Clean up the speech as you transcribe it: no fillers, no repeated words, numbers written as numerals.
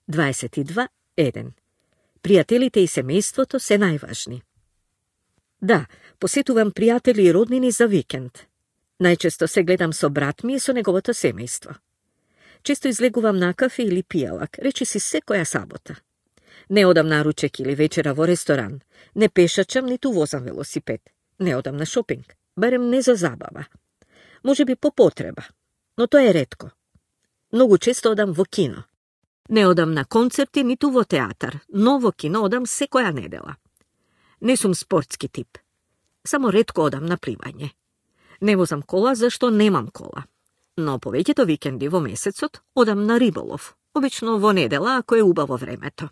22.1. Пријателите и семејството се најважни. Да, посетувам пријатели и роднини за викенд. Најчесто се гледам со брат ми и со неговото семејство. Често излегувам на кафе или пијалак, речиси секоја сабота. Не одам на ручек или вечера во ресторан, не пешачам, ниту возам велосипед. Не одам на шопинг, барем не за забава. Може би по потреба, но тоа е ретко. Многу често одам во кино. Не одам на концерти, ниту во театар, но во кино одам секоја недела. Не сум спортски тип. Само ретко одам на пливање. Не возам кола, зашто немам кола. Но повеќето викенди во месецот одам на риболов, обично во недела ако е убаво времето.